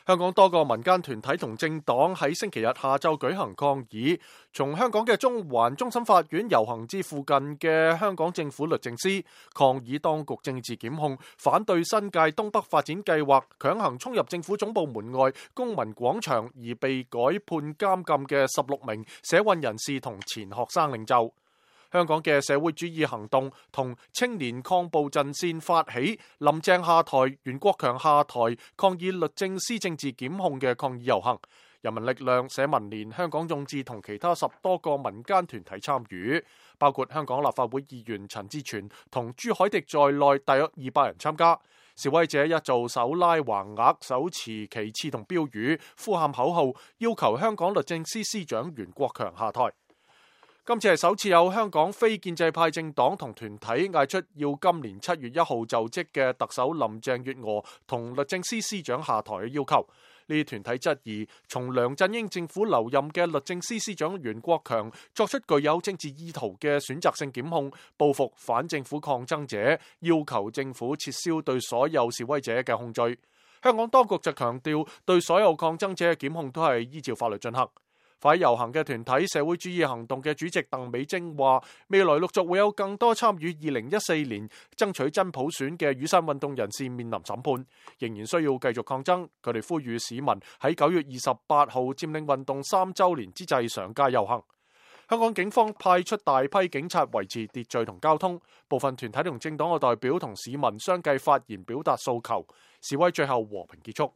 香港多個民間團體同政黨喺星期日下晝舉行抗議，從香港嘅中環終審法院遊行至附近嘅香港政府律政司，抗議當局政治檢控，反對新界東北發展計劃，強行衝入政府總部門外公民廣場而被改判監禁嘅16名社運人士同前學生領袖。香港嘅社會主義行動同青年抗暴陣線發起林鄭下台、袁國強下台，抗議律政司政治檢控嘅抗議遊行。人民力量、社民連、香港眾志同其他10多個民間團體參與，包括香港立法會議員陳志全同朱凱廸在內，大約200人參加。示威者一早手拉橫額、手持旗幟同標語，呼喊口號，要求香港律政司司長袁國強下台。今次係首次有香港非建制派政黨同團體嗌出要今年7月1號就職嘅特首林鄭月娥同律政司司長下台嘅要求。呢啲團體質疑，從梁振英政府留任嘅律政司司長袁國強作出具有政治意圖嘅選擇性檢控，報復反政府抗爭者，要求政府撤銷對所有示威者嘅控罪。香港當局就強調，對所有抗爭者嘅檢控都係依照法律進行。快遊行嘅團體社會主義行動嘅主席鄧美貞話，未來陸續會有更多參與2014年爭取真普選嘅雨傘運動人士面臨審判，仍然需要繼續抗爭。佢哋呼籲市民喺9月28號佔領運動3週年之際上街遊行。香港警方派出大批警察維持秩序同交通，部分團體同政黨嘅代表同市民相繼發言表達訴求，示威最後和平結束。